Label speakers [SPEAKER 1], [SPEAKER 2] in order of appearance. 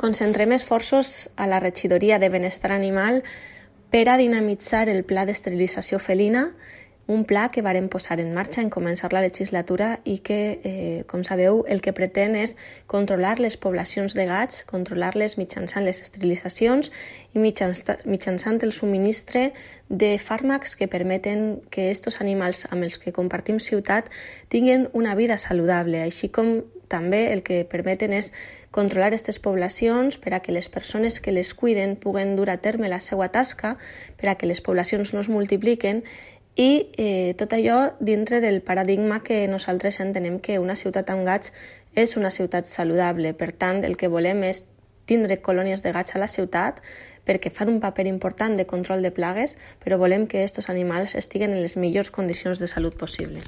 [SPEAKER 1] Concentrem esforços a la regidoria de benestar animal per a dinamitzar el pla d'esterilització felina, un pla que vàrem posar en marxa en començar la legislatura i que, com sabeu, el que pretén és controlar les poblacions de gats, controlar-les mitjançant les esterilitzacions i mitjançant el subministre de fàrmacs que permeten que aquests animals amb els que compartim ciutat tinguin una vida saludable, així com també el que permeten és controlar aquestes poblacions per a que les persones que les cuiden puguen dur a terme la seva tasca, per a que les poblacions no es multipliquen i tot allò dintre del paradigma que nosaltres entenem que una ciutat amb gats és una ciutat saludable. Per tant, el que volem és tindre colònies de gats a la ciutat perquè fan un paper important de control de plagues, però volem que aquests animals estiguen en les millors condicions de salut possible.